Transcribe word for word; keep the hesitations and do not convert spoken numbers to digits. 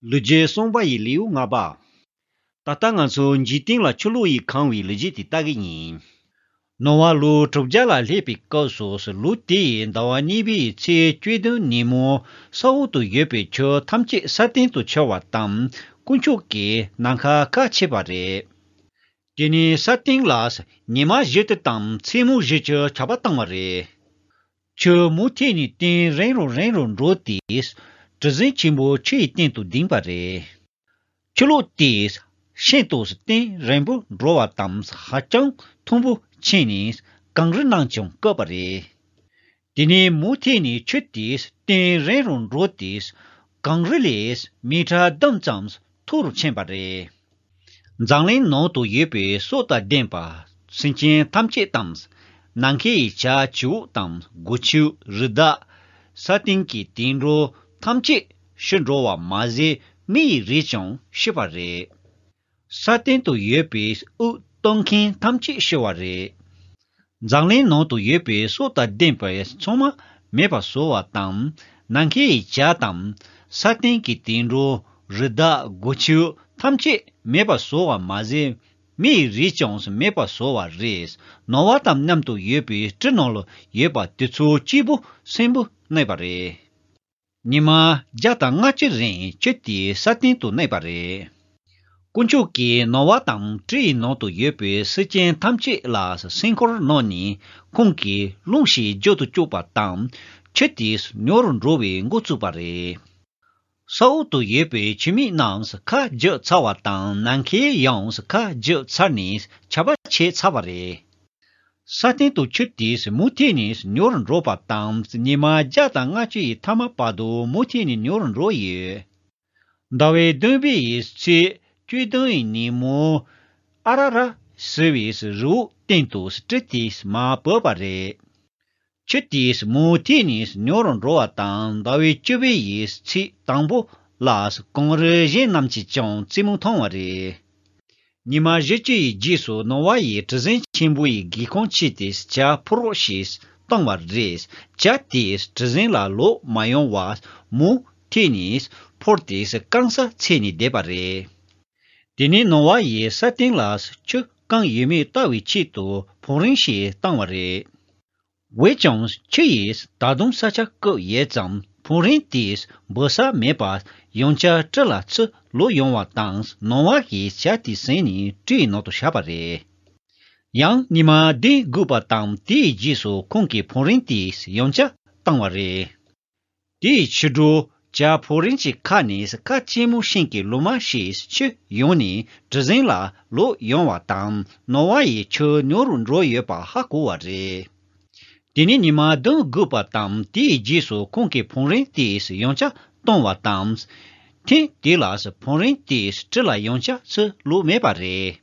ལོ་རྒྱུས་གསུངས་པ་ཡི་ལེའུ་ལྔ་པ། ད་ལྟ་ང་ཚོ་འཇིག་རྟེན་ལ་ཆུ་ལོག་ཡིས་གང་བའི་ལོ་རྒྱུས་དེ་ལྟ་གི་ཡིན། ནོ་ཝཱ་ལོ་དྲུག་བརྒྱ་ལ་སླེབས་པའི་སྐབས་སུ་ལོ་དེའི་ཟླ་བ་གཉིས་པའི་ཚེས་བཅུ་བདུན་ཉིན་མོ་ས་འོག་ཏུ་ཡོད་པའི་ཆུ་ཐམས་ཅད་ས་སྟེང་དུ་འཕྱུར་བ་དང་དཀོན་མཆོག་གིས་ནམ་མཁའ་ཁ་ཕྱེས་པ་རེད། དེ་ནས་ས་སྟེང་ལ་ཉི་མ་བཞི་བཅུ་དང་མཚན་མོ་བཞི་བཅུ་ཆར་པ་བཏང་བ་རེད། ཆུ་མུ་མཐུད་ནས་སྟེང་རིང་རུ་རིང་རུ་འགྲོ་སྟེ། གྲུ་གཟིངས་ཆེན་པོ་ཆུ་ཡི་སྟེང་དུ་ལྡིང་བ་རེད། ཆུ་ལོག་དེས་ཤིན་ཏུ་སྟེང་རིང་པོ་འགྲོ་བ་དང་ཧ་ཅང་མཐོན་པོ་ཕྱིན་ནས་གངས་རི་རྣམས་ཀྱང་བཀབ་པ་རེད། དེ་ནས་མུ་མཐུད་ནས་ཆུ་དེས་སྟེང་རིང་རུ་འགྲོ་སྟེ། གངས་རི་ལས་མི་ཊར་བདུན་ཙམ་མཐོ་རུ་ཕྱིན་པ་རེད། འཛམ་གླིང་ནང་དུ་ཡོད་པའི་སྲོག་དང་ལྡན་པ་སེམས་ཅན་ཐམས་ཅད་དང་། ནམ་མཁའི་བྱ་བྱིའུ་དང་སྒོ་ཕྱུགས་རི་དྭགས། ས་སྟེང་གི་དུད་འགྲོ་ཐམས་ཅད་ཤི་འགྲོ་བ་མ་ཟད་མི་ཡི་རིགས་ཀྱང་ཤི་བ་རེད། ས་སྟེང་དུ་ཡོད་པའི་དབུགས་གཏོང་མཁན་ཐམས་ཅད་ཤི་བ་རེད། འཛམ་གླིང་ནང་དུ་ཡོད་པའི་སྲོག་དང་ལྡན་པའི་ཚང་མ་མེད་པར་བཟོ་བ་དང་། ནམ་མཁའི་བྱ་དང་། ས་སྟེང་གི་དུད་འགྲོ། རི་དྭགས། སྒོ་ཕྱུགས་ཐམས་ཅད་མེད་པར་བཟོ་བ་མ་ཟད། མི་ཡི་རིགས་ཀྱང་མེད་པར་བཟོ་བ་རེད། ནོ་ཝཱ་དང་མཉམ་དུ་ཡོད་པའི་གྲུ་ནང་ལ་ཡོད་པ་དེ་ཚོ་གཅིག་པུ་གསོན་པོ་གནས་པ་རེད། ཉི་མ་བརྒྱ་དང་ལྔ་བཅུ་རིང་ཆུ་དེ་ས་སྟེང་དུ་གནས་པ་རེད། དཀོན་མཆོག་གིས་ནོ་ཝཱ་དང་གྲུ་ཡི་ནང་དུ་ཡོད་པའི་སེམས་ཅན་ཐམས་ཅད་ལ་སེམས་ཁུར་གནང་ནས་ཁོང་གིས་རླུང་ཞིག་རྒྱུག་ཏུ་བཅུག་པ་དང་། ཆུ་དེ་ཉུང་རུ་འགྲོ་བའི་འགོ་བཙུགས་པ་རེད། ས་འོག་ཏུ་ཡོད་པའི་ཆུ་མིག་རྣམས་ཁ་བརྒྱབ་ཚར་བ་དང་། ནམ་མཁའི་ཡང་ཁ་བརྒྱབ་ཚར་ནས་ཆར་པ་ཆད་ཚར་བ་རེད། ས་སྟེང་དུ་ཆུ་དེས་མུ་མཐུད་ནས་ཉུང་རུ་འགྲོ་བ་དང་། ཉི་མ་བརྒྱ་དང་ལྔ་བཅུ་ཡི་མཐའ་མ་བར་དུ་མུ་མཐུད་ནས་ཉུང་རུ་འགྲོ་ཡོད། ཟླ་བའི་བདུན་པའི་ཚེས་བཅུ་བདུན་ཡི་ཉིན་མོ། ཨ་ར་ར་ཟེར་བའི་རི་བོ་སྟེང་དུ་གྲུ་དེས་མར་བབས་པ་རེད། ཆུ་དེས་མུ་མཐུད་ནས་ཉུང་རུ་འགྲོ་བ་དང་། ཟླ་བའི་བཅུ་པའི་ཚེས་དང་པོ་ལ་གངས་རི་གཞན་རྣམས་ཀྱིས་ཀྱང་རྩེ་མོ་མཐོང་བ་རེད། ཉི་མ་བཞི་བཅུ་ཡི་རྗེས་སུ་ནོ་ཝཱ་ཡིས་གྲུ་གཟིངས་ཆེན་པོ་ཡི་སྒེའུ་ཁུང་ཕྱེས་ཏེ་ཇ་ཕོར་རོགས་ཤིག་བཏང་བ་རེད། ཇ་དེས་གྲུ་གཟིངས་ལ་ལོག་མ་ཡོང་བར་མུ་མཐུད་ནས་ཕོར་དེ་རྐང་ས་འཚོལ་ནས་བསྡད་པ་རེད། དེ་ནས་ནོ་ཝཱ་ཡིས་ས་སྟེང་ལ་ཆུ་བཀང་ཡོད་མེད་ལྟ་བའི་ཆེད་དུ་ཕུག་རོན་ཞིག་བཏང་བ་རེད། འོན་ཀྱང་ཆུ་ཡིས་ད་དུང་ས་ཆ་བཀབ་ཡོད་ཙང་ཕུག་རོན་དེས་འབབ་ས་མེད་པར་ཡང་བསྐྱར་གྲུ་ལ་ཚུར་ལོག་ཡོང་བ་དང་། ནོ་ཝཱ་ཡིས་ཇ་དེ་ཟིན་ནས་གྲུའི་ནང་དུ་བཞག་པ་རེད། ཡང་ཉི་མ་བདུན་སྒུག་པ་དང་། དེའི་རྗེས་སུ་ཁོང་གིས་ཕུག་རོན་དེ་ཡང་བསྐྱར་བཏང་བ་རེད། དེའི་ཕྱི་དྲོ་ཇ་ཕུག་རོན་གྱི་ཁ་ནས་ཁ་ལྕེ་མོ་ཤིང་གི་ལོ་མ་ཞིག་ཆུ་ཡོང་ནས་གྲུ་གཟིངས་ལ་ལོག་ཡོང་བ་དང་། ནོ་ཝཱ་ཡིས་ཆུ་ཉུང་རུ་འགྲོ་ཡོད་པ་ཧ་གོ་བ་རེད། དེ་ནས་ཉི་མ་བདུན་སྒུག་པ་དང་། དེའི་རྗེས་སུ་ཁོང་གིས་ཕུག་རོན་དེ་ཡང་བསྐྱར་བཏང་བ་དང་། ཐེངས་དེ་ལ་ཕུག་རོན་དེ་གྲུ་ལ་ཡང་བསྐྱར་ཚུར་ལོག་མེད་པ་རེད།